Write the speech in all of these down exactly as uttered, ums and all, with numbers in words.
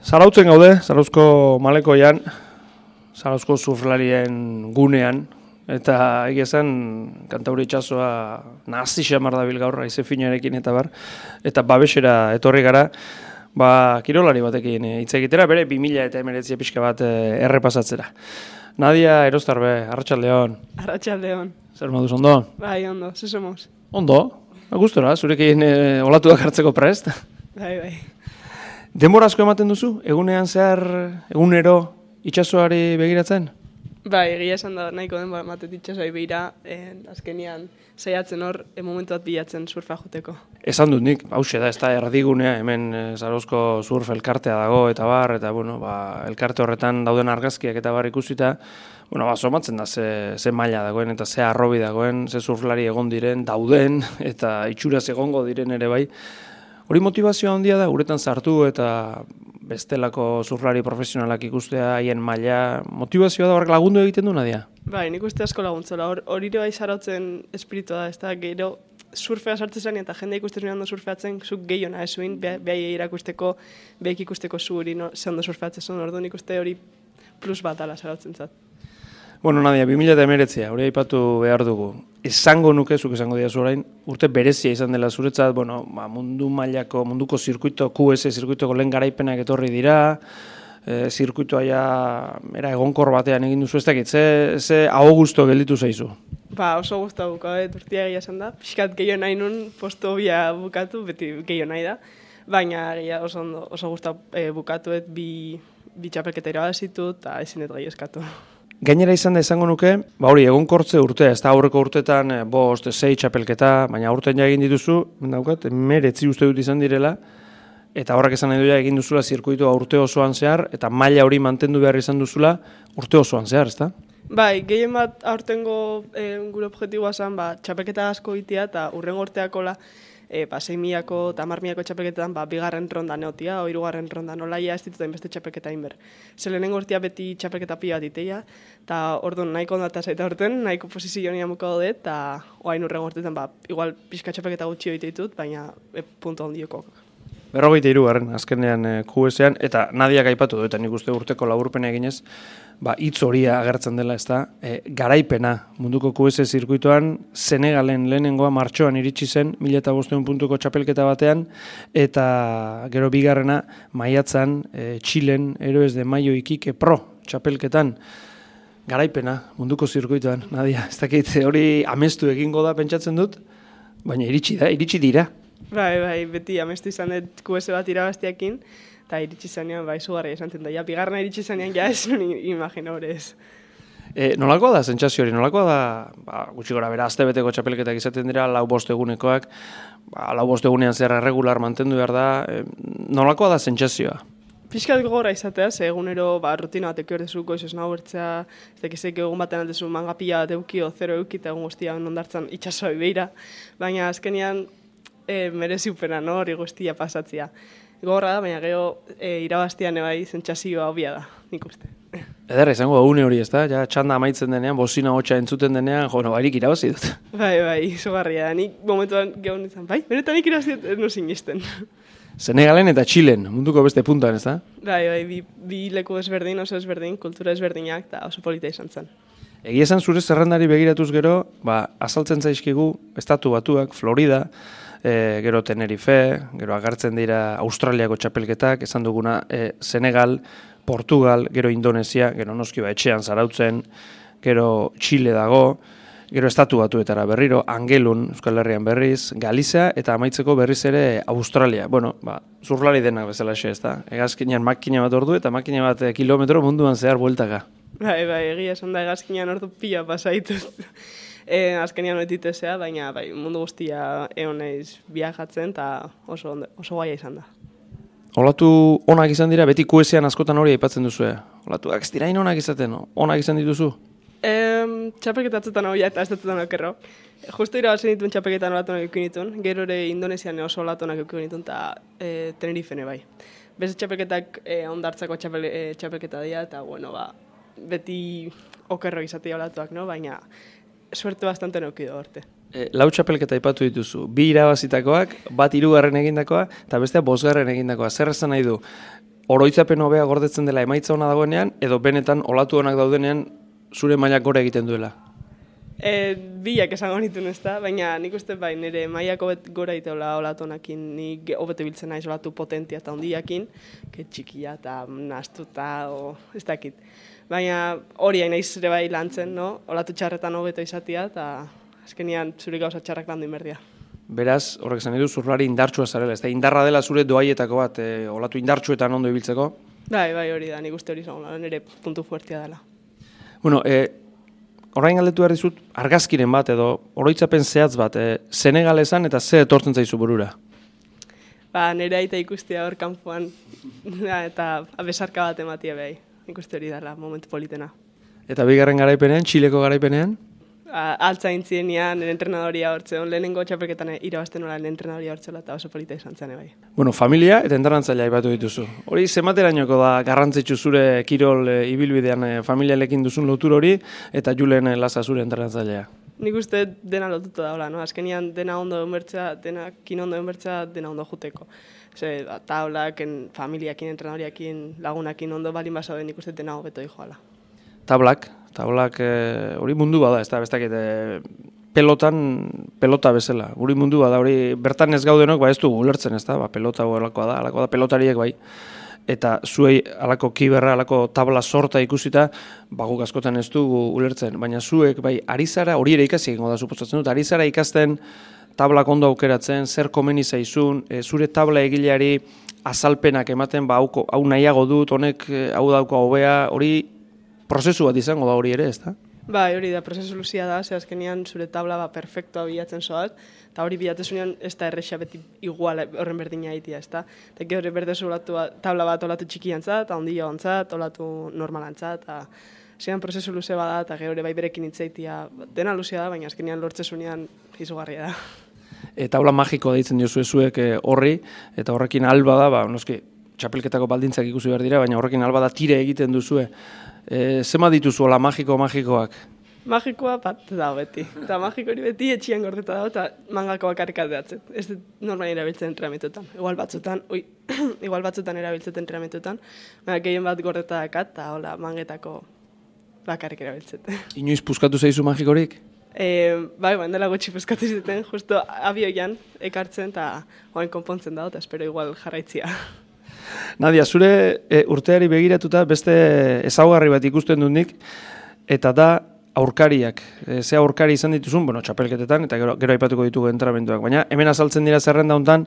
Zarautzen gaude, Zarauzko malekoian, Zarauzko surflarien gunean, eta egia zen Kantauri itsasoa nazi xamar dabil gaur, haize finarekin eta bar, eta babesera etorri gara, ba, kirolari batekin hitz egitera, bere bi mila eta hemeretzi pixka bat errepasatzera. Nadia Erostarbe, Arratsaldeon. Arratsaldeon. Zer moduz, ondo? Bai, ondo, ze somos. Ondo, gustora, zurekin e, olatuak hartzeko prest. Bai, bai. Denbora asko ematen duzu, egunean zehar, egunero itsasoari begiratzen? Bai, egia esan da nahiko denbora ematen itsasoari begira, eh, azkenian saiatzen hor, e, momentu bat bilatzen surfa joteko. Esan dut nik, hauxe da, ez da erdigunea, hemen e, Zarauzko surf elkartea dago eta bar, eta bueno, ba, elkarte horretan dauden argazkiak eta bar ikusita, bueno, ba, somatzen da ze, ze maila dagoen eta ze arrobi dagoen, ze surflari egon diren, dauden, eta itxuraz egongo diren ere bai. Hori motivazioa handia da, uretan sartu eta bestelako surflari profesionalak ikustea, haien maila, motivazioa da horrek lagundu egiten du, Nadia? Bai, nik uste asko laguntzela, hor hori bai zarautzen espiritua da, ez da, gero surfea sartzen zen eta jende ikusten zuen ondo surfeatzen, zuk gehiona esuin, behai irakusteko, behik ikusteko zu hori no, ze ondo surfeatzen zuen, ordu nik uste hori plus bat ala zarautzen zat. Bueno, Nadia, bi mila eta hemeretzia, hori aipatu behar dugu. Esango nuke, zuk esango diazu orain, urte berezia izan dela zuretzat, bueno, ba, mundu mailako, munduko zirkuito, Q S zirkuitoko lehen garaipenak etorri dira, e, zirkuitoa ja, era egonkor batean egin duzu, ez dakit, ze, ze hau gusto gelditu zaizu? Ba, oso guztua bukatu, urtia egia esan da, pixkat gehiago nahi nun, posto bia bukatu, beti gehiago nahi da, baina egia oso, oso guztua e, bukatuet bi, bi txapelketa irabazitu eta ezinet gai eskatu. Gainera izan da izango nuke, ba hori egonkortze urtea, ez da aurreko urtetan bost, sei txapelketa, baina aurten ja egin dituzu, daukat, meretzi uste dut izan direla, eta horrek esan nahi duela egin duzula zirkuitua urte osoan zehar, eta maila hori mantendu behar izan duzula urte osoan zehar, ez da? Bai, gehien bat aurtengo e, gure objektiboa zen, ba, txapelketa asko itia, eta urren gorteakola, E, ba, sei milako eta hamar milako txapelketan ba, bigarren ronda neotia, o hirugarren ronda nolaia ez dituten beste txapelketa inber. Zer lehenengo urtea beti txapelketa pila bat iteia, eta orduan nahiko ondata zaita orten, nahiko posizio nian muka dut, eta oain urren gortetan, ba, igual pixka txapelketa gutxi hori ditut, baina e, punto ondioko. Berrogeita hiru garren, azkenean e, Q S-ean, eta Nadiak aipatu du, eta nik uste urteko laburpena eginez, ba, hitz horia agertzen dela, ez da, e, garaipena munduko Q S zirkuitoan, Senegalen lehenengoa martxoan iritsi zen, mila eta bostehun puntuko txapelketa batean, eta gero bigarrena, maiatzan, e, Txilen, Heroes de Mayo Iquique Pro txapelketan, garaipena munduko zirkuitoan, Nadia, ez dakit, hori amestu egingo da pentsatzen dut, baina iritsi da, iritsi dira. Bai, bai, beti amestu izan dut Q S bat irabaztiakin, eta iritsi zanean, bai, zugarria izan zen da, ja, bigarna iritsi zanean, ja, ez nuen imagino horrez. E, nolakoa da, zentsazio hori, nolakoa da, ba, gutxi gora bera, aztebeteko txapelketak izaten dira, lau bost egunekoak, ba, lau bost egunean zer erregular mantendu behar da, e, nolakoa da zentsazioa? Piskat gogorra izatea, ze egunero ba, rutina bat eki ordezu, goiz esna bertzea, ez dakizek egun batean aldezu mangapila bat euki o zero euki, eta egun guztia ondartzan itxasoa beira, baina azkenian e, merezi upena, no, hori guztia pasatzea. Gogorra da, baina gero e, irabaztian ebai zentsazioa hobia da, nik uste. Ederra izango da, une hori ez da, ja, txanda amaitzen denean, bozina hotxa entzuten denean, jo, no, bairik irabazi dut. Bai, bai, izugarria da, nik momentuan gehon izan, bai, benetan nik irabazi dut, ez no sinisten. Senegalen eta Txilen, munduko beste puntan, ez da? Bai, bai, bi, bi leku ezberdin, oso ezberdin, kultura ezberdinak, eta oso polita izan zen. Egia esan zure zerrendari begiratuz gero, ba, azaltzen zaizkigu, estatu batuak, Florida, e, gero Tenerife, gero agertzen dira Australiako txapelketak, esan duguna e, Senegal, Portugal, gero Indonesia, gero noski ba etxean zarautzen, gero Txile dago, gero estatu batuetara berriro, Angelun, Euskal Herrian berriz, Galizia, eta amaitzeko berriz ere Australia. Bueno, ba, zurlari denak bezala xe, ez da? Egazkinean makina bat ordu eta makina bat kilometro munduan zehar bueltaka. Bai, bai, egia esan da egazkinean ordu pila pasaituz. e, azkenean oititezea, baina bai, mundu guztia egon naiz viajatzen, eta oso, oso gaia izan da. Olatu onak izan dira, beti Q S-ean askotan hori aipatzen duzu, eh? Olatuak ez dirain onak izaten, onak izan dituzu? Um, txapelketatzetan hau ja eta ez datutan okerro. Justo irabazen dituen txapelketan olatunak eukin dituen, gero ere Indonesian oso olatunak eukin dituen, eta e, Tenerifene bai. Beste txapelketak e, ondartzako txapel, e, txapelketa dira, eta bueno, ba, beti okerro izatea olatuak, no? Baina suerte bastante neukido horte. E, lau txapelketa aipatu dituzu, bi irabazitakoak, bat hirugarren egindakoa, eta bestea bosgarren egindakoa. Zer esan nahi du? oroitzapen hobea gordetzen dela emaitza ona dagoenean, edo benetan olatu onak daudenean zure mailak gora egiten duela? E, bilak esango nituen ez da, baina nik uste bai nire mailak hobet gora egiteola olatu onakin, nik hobeto biltzen naiz olatu potentia eta ondiakin, que txikia eta nastuta, o ez dakit. Baina hori hain naiz ere bai lantzen, no? Olatu txarretan hobeto izatia, eta azkenian zure gauza txarrak landu inberdia. Beraz, horrek esan edu, zurlari indartsua zarela, ez da indarra dela zure doaietako bat, e, olatu indartsuetan ondo ibiltzeko? Bai, bai hori da, nik uste hori zango, nire puntu fuertia dela. Bueno, e, orain galdetu behar dizut, argazkiren bat edo oroitzapen zehatz bat, e, Senegalesan eta ze etortzen zaizu burura? Ba, nire aita ikustia hor kanpoan eta besarka bat ematia behai, nik uste hori dela, momentu politena. Eta bigarren garaipenean, Txileko garaipenean? Altza intzienian, nire entrenadoria hortze, lehenengo txapelketan irabazten nola nire entrenadoria hortzela eta oso polita izan zen bai. Bueno, familia eta entrenatzailea aipatu dituzu. Hori zenbaterainoko da garrantzitsu zure kirol e, ibilbidean e, familialekin duzun lotur hori eta Julen e, Laza zure entrenatzailea? Nik uste dena lotuta daula, no? Azkenian dena ondo emertza, dena kin ondo emertza, dena ondo juteko. Ze, ba, taulak, familiakin, entrenadoriakin, lagunakin ondo balin basa den nik uste dena hobeto dijoala. Tablak, tablak hori e, mundu bada, ez da, bestak e, pelotan, pelota bezala. Hori mundu bada, hori bertan ez gaudenok, ba ez du ulertzen, ez da, ba, pelota alakoa da, alakoa da, pelotariek bai. Eta zuei alako kiberra, alako tabla sorta ikusita, ba guk askotan ez du ulertzen. Baina zuek, bai, ari zara, hori ere ikasi egingo da, suposatzen dut, ari zara ikasten tablak ondo aukeratzen, zer komeni zaizun, e, zure tabla egileari azalpenak ematen, ba hau, hau nahiago dut, honek hau dauko hobea, hori prozesu bat izango da hori ere, ez da? Bai, hori da, prozesu luzia da, ze azkenean zure tabla ba perfektoa bilatzen zoaz, eta hori bilatezunean ez da erresa beti igual horren berdina egitea, ez da? Eta gero berdezu tabla bat olatu txikiantzat, eta ondia ontzat, olatu normalantzat, eta zean prozesu luze bada, eta gero bai berekin hitzaitia dena luzea da, baina azkenean lortzezunean izugarria da. E, tabla magiko deitzen diozu ezuek horri, eta horrekin alba da, ba, noski, txapelketako baldintzak ikusi behar dira, baina horrekin alba da tire egiten duzue. E, zema dituzu, hola, magiko-magikoak? Magikoa bat da beti. Eta magiko hori beti etxian gordeta dago eta mangako bakarrik aldeatzen. Ez dut normal erabiltzen entrenamentuetan. Igual batzutan, ui, igual batzutan erabiltzen entrenamentuetan, baina gehien bat gordeta dakat eta hola, mangetako bakarrik erabiltzen. Inoiz puskatu zaizu magikorik? E, bai, baina dela gutxi puskatu zuten, justo abioian ekartzen eta oain konpontzen dago eta espero igual jarraitzia. Nadia, zure e, urteari begiratuta beste ezaugarri bat ikusten dut nik, eta da aurkariak. E, ze aurkari izan dituzun, bueno, txapelketetan, eta gero, gero aipatuko ditugu entrenamenduak. Baina hemen azaltzen dira zerrenda hontan,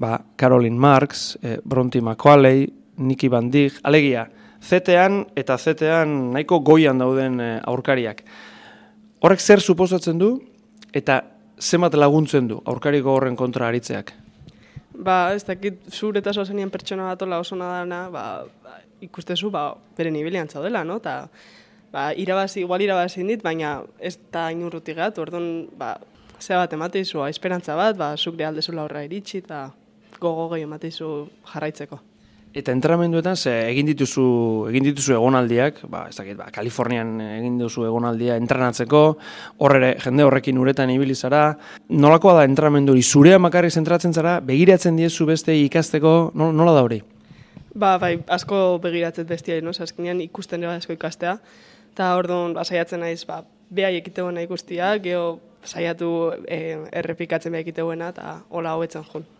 ba, Caroline Marks, e, Bronte McCualley, Nikki Van Dijk, alegia, zetean eta zetean nahiko goian dauden e, aurkariak. Horrek zer suposatzen du, eta zenbat laguntzen du aurkariko horren kontra aritzeak? Ba, ez dakit, zur eta zozenien pertsona bat ola oso nadana, ba, ikustezu, ba, bere nibilian zaudela, no? Ta, ba, irabazi, igual irabazi dit, baina ez da inurruti gat, orduan, ba, zea bat emateizu, esperantza bat, ba, zuk aldezula horra iritsi, eta gogo gehi emateizu jarraitzeko. Eta entrenamenduetan, ze egin dituzu, egin dituzu egonaldiak, ba, ez dakit, ba, Kalifornian egin dituzu egonaldia entrenatzeko, horre jende horrekin uretan ibili zara. Nolakoa da entrenamendu hori? Zurea makarrik zentratzen zara, begiratzen diezu beste ikasteko, nola da hori? Ba, bai, asko begiratzen bestia, no? Azkenean ikusten ere asko ikastea, eta orduan ba, saiatzen naiz, ba, behai ekiteguena ikustia, geho saiatu e, errepikatzen behai ekiteguena, eta hola hobetzen joan.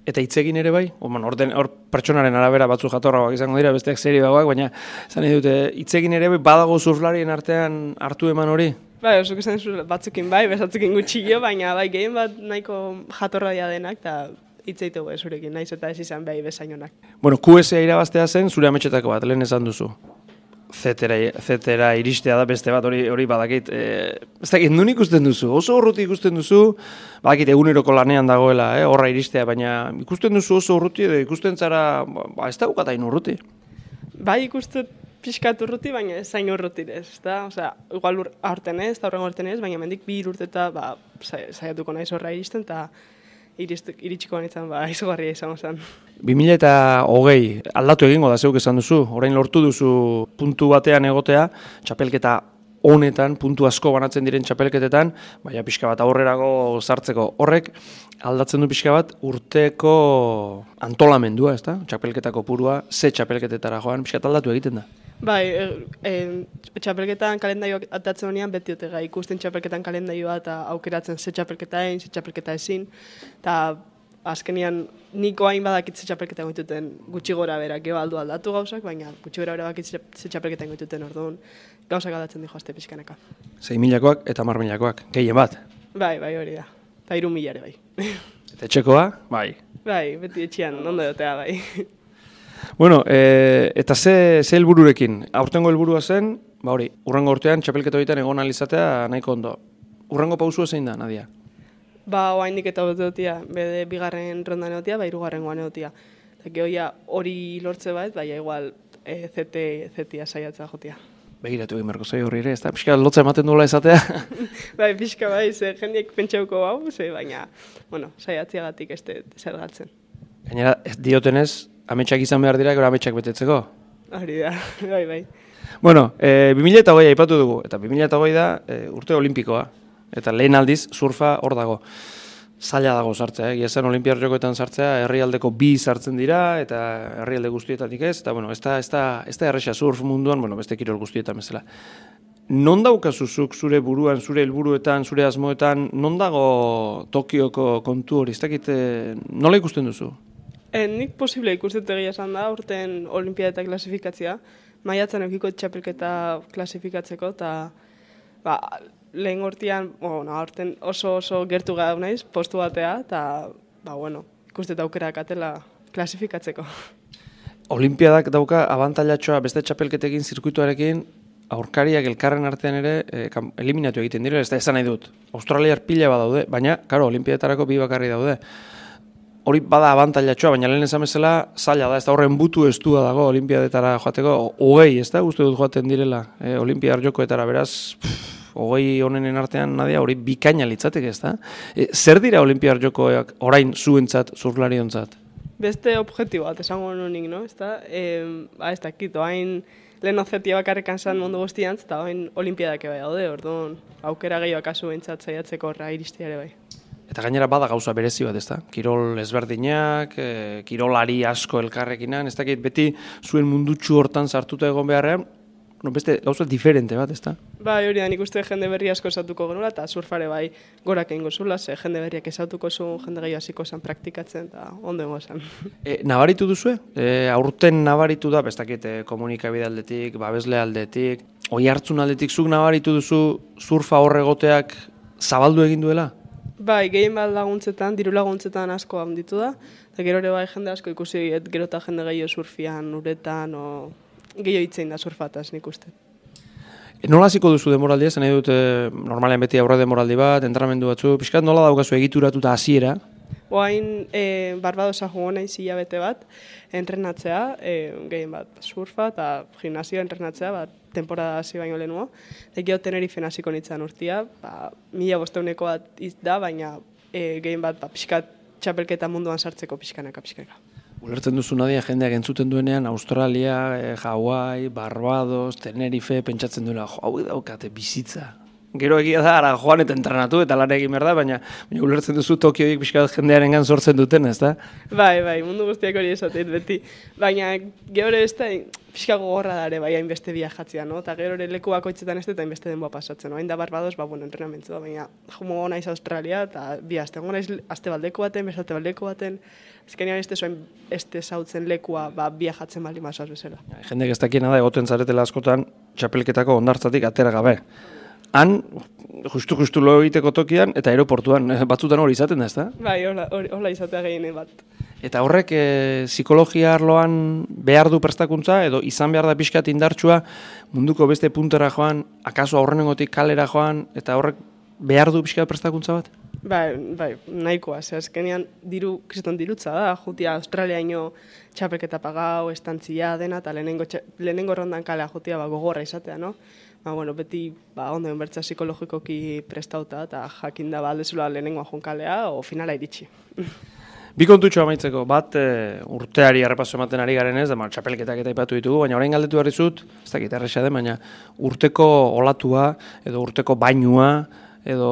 Eta hitzegin ere bai, hor or, pertsonaren arabera batzu jatorragoak izango dira, besteak serioagoak, baina zan dute hitzegin ere bai badago surflarien artean hartu eman hori? Bai, osuk esan batzukin bai, bezatzukin gutxillo, baina bai gehien bat nahiko jatorraia denak, eta hitzeitu bai zurekin, naiz eta ez izan bai bezainonak. Bueno, Q S A irabaztea zen zure ametxetako bat, lehen esan duzu. Zetera, zetera iristea da beste bat, hori hori badakit, e, ez dakit, nun ikusten duzu, oso urruti ikusten duzu, badakit eguneroko lanean dagoela, eh, horra iristea, baina ikusten duzu oso urruti edo ikusten zara, ba, ez da bukatain urruti. Bai ikusten pixkat urruti, baina ez zain urrutirez, ez da, osea, igual ur, aurten ez, eta horren aurten ez, baina mendik bi urte eta, ba, saiatuko naiz horra iristen, eta iritsiko banitzen, ba, izugarria izango zen. bi mila hogei aldatu egingo da zeuk esan duzu, orain lortu duzu puntu batean egotea, txapelketa honetan, puntu asko banatzen diren txapelketetan, baina pixka bat aurrerago sartzeko horrek, aldatzen du pixka bat urteko antolamendua, ez da? Txapelketako purua, ze txapelketetara joan, pixka aldatu egiten da. Bai, e, e, txapelketan kalendaioak atatzen honean beti otega ikusten txapelketan kalendaioa eta aukeratzen ze txapelketa egin, ze txapelketa ezin, eta azkenian niko hain badakit ze txapelketa egituten gutxi gora bera, geho aldu aldatu gauzak, baina gutxi gora bera bakit ze txapelketa egituten orduan gauzak aldatzen dijo azte pixkaneka. Sei milakoak eta mar milakoak, gehien bat. Bai, bai hori da, eta hiru milare bai. Eta etxekoa, bai. Bai, beti etxean, ondo dotea bai. Bueno, e, eta ze, ze helbururekin? Aurtengo helburua zen, ba hori, urrengo urtean txapelketa horietan egon alizatea nahiko ondo. Urrengo pausua zein da, Nadia? Ba, oaindik eta hoteotia, bede bigarren ronda neotia, ba, irugarren goa neotia. Eta gehoia hori lortze bat, baina igual e, zete, zetia saiatzea jotia. Begiratu egin berko zoi horri ere, ez da? Pixka lotza ematen duela esatea? Bai, pixka bai, ze jendiek pentsauko hau, ze, baina, bueno, saiatziagatik ez zer galtzen. Gainera, ez diotenez, ametsak izan behar dira, gero ametsak betetzeko. Hori da, bai, bai. Bueno, e, bi mila hogei aipatu dugu, eta bi mila hogei da e, urte olimpikoa. Eta lehen aldiz, surfa hor dago. Zaila dago sartzea, egia zen Olimpiar Jokoetan sartzea, herrialdeko bi sartzen dira, eta herrialde guztietatik ez, eta bueno, ez da, ez da, ez da erresa surf munduan, bueno, beste kirol guztietan bezala. Non daukazuzuk zure buruan, zure helburuetan, zure asmoetan, non dago Tokioko kontu hori, ez dakit, nola ikusten duzu? E, nik posible ikustet egia esan da, urten olimpiadetak klasifikatzea, maiatzen eukiko txapelketa klasifikatzeko, eta ba, lehen gortian, bueno, aurten oso oso gertu gau naiz, postu batea, eta ba, bueno, ikustet aukerak atela klasifikatzeko. Olimpiadak dauka abantailatxoa beste txapelketekin, zirkuituarekin, aurkariak elkarren artean ere eh, eliminatu egiten direla, ez da esan nahi dut. Australiar pila badaude, baina, karo, olimpiadetarako bi bakarri daude. Hori bada abantailatxoa, baina lehen esan bezala zaila da, ez da horren butu estua dago olimpiadetara joateko, hogei, ez da, uste dut joaten direla, e, olimpiar jokoetara, beraz, pff, hogei honenen artean nadia, hori bikaina litzateke, ez da? E, zer dira olimpiar jokoak orain zuentzat, zurlariontzat? Beste objektibo bat, esango nunik, no? Ez da, e, ba, ez dakit, oain lehen ozetia bakarrekan zan mundu guztiantz, eta oain olimpiadak bai daude, orduan, aukera gehiago akazu bentsat zaiatzeko horra iristiare bai. Eta gainera bada gauza berezi bat, ez da? Kirol ezberdinak, e, kirolari asko elkarrekinan, ez dakit beti zuen mundutxu hortan sartuta egon beharrean, no, beste gauza diferente bat, ez da? Bai, hori da, nik uste jende berri asko esatuko genuela, eta surfare bai gorak egingo zula, ze jende berriak esatuko zu, jende gehiago hasiko zen praktikatzen, eta ondo egon zen. E, nabaritu duzue? E, aurten nabaritu da, bestakit, e, komunikabide aldetik, babesle aldetik, oi hartzun aldetik, zuk nabaritu duzu surfa horregoteak zabaldu egin duela? Bai, gehien bat laguntzetan, diru laguntzetan asko handitu da, eta gero ere bai jende asko ikusi, et gero eta jende gehiago surfian, uretan, o gehiago hitzein da surfataz nik uste. E, nola hasiko duzu demoraldia, zen nahi dut, e, normalean beti aurre demoraldi bat, entrenamendu batzu, pixkat nola daukazu egituratuta hasiera? Oain e, Barbadosa jogo naiz hilabete bat, entrenatzea, e, gehien bat surfa eta gimnasioa entrenatzea, bat, temporada hasi baino lehenua. Eta gero Tenerifen hasiko nintzen urtia, ba, mila bosteuneko bat da, baina e, gehien bat ba, pixkat txapelketa munduan sartzeko pixkanaka, pixkanaka. Ulertzen duzu Nadia jendeak entzuten duenean, Australia, e, Hawaii, Barbados, Tenerife, pentsatzen duela, jo, hau daukate bizitza. Gero egia da, ara joan eta entrenatu eta lan egin behar da, baina, baina ulertzen duzu Tokioik pixka bat jendearen gan sortzen duten, ez da? Bai, bai, mundu guztiak hori esatet beti. Baina gero ez da, pixka gogorra dare, bai, hainbeste viajatzea, no? Eta gero ere leku bakoitzetan ez da, hainbeste denboa pasatzen, no? Hain da Barbados, ba, bueno, entrenamentu da, baina jumo naiz Australia, eta bi aste, gongo naiz aste baldeko baten, beste baldeko baten, ezkenean ez zuen este zautzen lekua, ba, viajatzen bali masoaz bezala. Jendek ez dakiena da, egoten zaretela askotan, txapelketako ondartzatik atera gabe. Han, justu-justu lo egiteko tokian, eta aeroportuan, batzutan hori izaten da, ez da? Bai, hola, hola izatea gehiene bat. Eta horrek, e, psikologia arloan behar du prestakuntza, edo izan behar da pixkat indartsua, munduko beste puntera joan, akaso aurrenengotik kalera joan, eta horrek behar du pixkat prestakuntza bat? Bai, bai, nahikoa, ze azkenean diru, kriston dirutza da, jutia Australiaino txapelketa pagau, estantzia dena, eta lehenengo, lehenengo rondan kalea jutia ba, gogorra izatea, no? Ba, bueno, beti ba, ondo enbertza psikologikoki prestauta, eta jakin da ba, aldezula lehenengoa jonkalea, o finala iritsi. Bi kontutxo amaitzeko, bat e, urteari errepaso ematen ari garen ez, da, ma, txapelketak eta ipatu ditugu, baina orain galdetu behar dizut, ez dakit erresa den, baina urteko olatua edo urteko bainua edo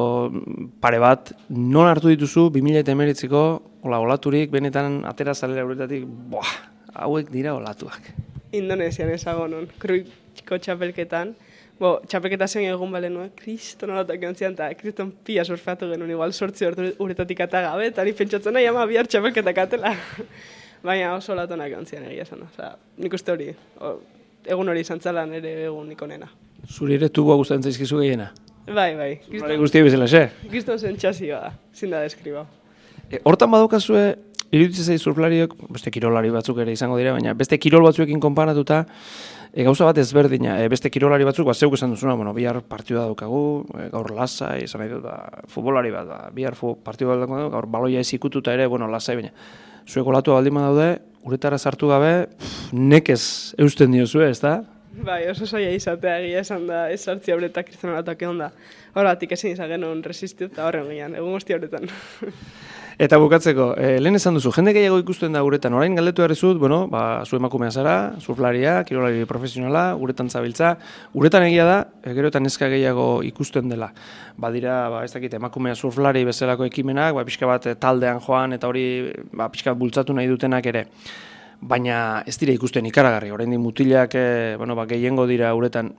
pare bat, non hartu dituzu bi mila hemeretziko ola olaturik benetan atera zalera uretatik, boah, hauek dira olatuak. Indonesian ezago non, kruiko txapelketan. Bo, txapelketa zen egun bale nuen, kriston olatak jontzian, eta kriston pia surfeatu genuen, igual sortzi uretatik atagabe, eta ni pentsatzen nahi ama bihar txapelketak atela. Baina oso olatonak jontzian egia esan. Osa, nik uste hori, o, egun hori izan zala nire egun ikonena. Zuri ere tubua gustatzen zaizkizu gehiena? Bai, bai. Zuri guztia bezala, xe? Kriston zen txasioa da, zinda deskribau. E, hortan badukazue, iruditzen zaiz surflariok, beste kirolari batzuk ere izango dira, baina beste kirol batzuekin konparatuta, e, gauza bat ezberdina, e, beste kirolari batzuk, ba, zeuk esan duzuna, bueno, bihar partidua daukagu, e, gaur lasai, esan nahi dut, ba, futbolari bat, ba, bihar fu, partidua daukagu, gaur baloia ez ikututa ere, bueno, lasai, baina, zuek olatua baldin badaude, uretara sartu gabe, pff, nekez eusten diozue, ez da? Bai, oso zaila izatea egia esan da, ez sartzia horretak kristonalatak egon da. Horretik ezin izan genuen resistu eta horren gian, egun guzti horretan. Eta bukatzeko, e, lehen esan duzu, jende gehiago ikusten da uretan, orain galdetu errezut, bueno, ba, zu emakumea zara, surflaria, kirolari profesionala, uretan zabiltza, uretan egia da, e, gero eta neska gehiago ikusten dela. Badira, ba, ez dakit, emakumea surflari bezalako ekimenak, ba, pixka bat taldean joan, eta hori, ba, pixka bat bultzatu nahi dutenak ere. Baina ez dira ikusten ikaragarri, oraindik mutilak e, bueno, ba, gehiengo dira uretan.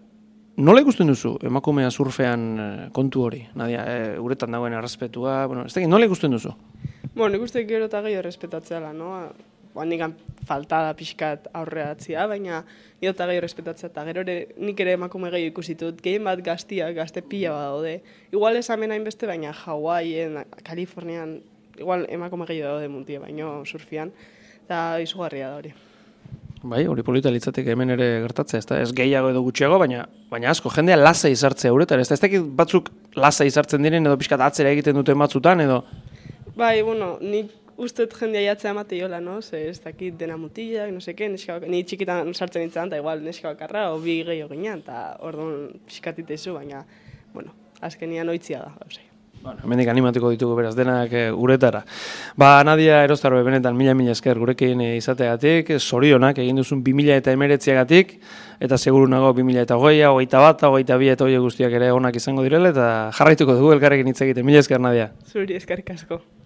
Nola ikusten duzu emakumea surfean e, kontu hori? Nadia, e, uretan dagoen errespetua, bueno, ez dakit, nola ikusten duzu? Bueno, nik uste gero eta gehiago errespetatzeala, no? Ba, nikan faltada pixkat aurreatzia, baina gero eta gehiago errespetatzea, eta gero ere, nik ere emakume gehiago ikusitut, gehien bat gaztiak, gazte pila bat daude. Igual ez hemen hainbeste, baina Hawaien, Kalifornian, igual emakume gehiago daude muntie, baino surfian, eta izugarria da hori. Bai, hori polita litzateke hemen ere gertatzea, ez da, ez gehiago edo gutxiago, baina baina asko, jendea lasa izartzea uretan, ez da, ez dakit batzuk lasa izartzen diren edo pixkat atzera egiten duten batzutan, edo... Bai, bueno, nik usteet jendea jatzea amate jola, no? Ze ez dakit dena mutilak, no seke, neska bak... Ni txikitan sartzen nintzen, eta igual neska bakarra, o bi gehiago ginean, eta orduan pixkatite izu, baina, bueno, azkenian oitzia da, gauzai. Bueno, hemendik animatuko ditugu beraz denak e, uretara. Ba, Nadia Erostarbe benetan mila mila esker gurekin e, izateagatik, zorionak egin duzun bi mila eta hemeretziagatik, eta seguru nago bi mila eta hogeia, hogeita bat, hogeita bi eta hogeia guztiak ere onak izango direla, eta jarraituko dugu elkarrekin hitz egiten. Mila esker, Nadia. Zuri eskerrik asko.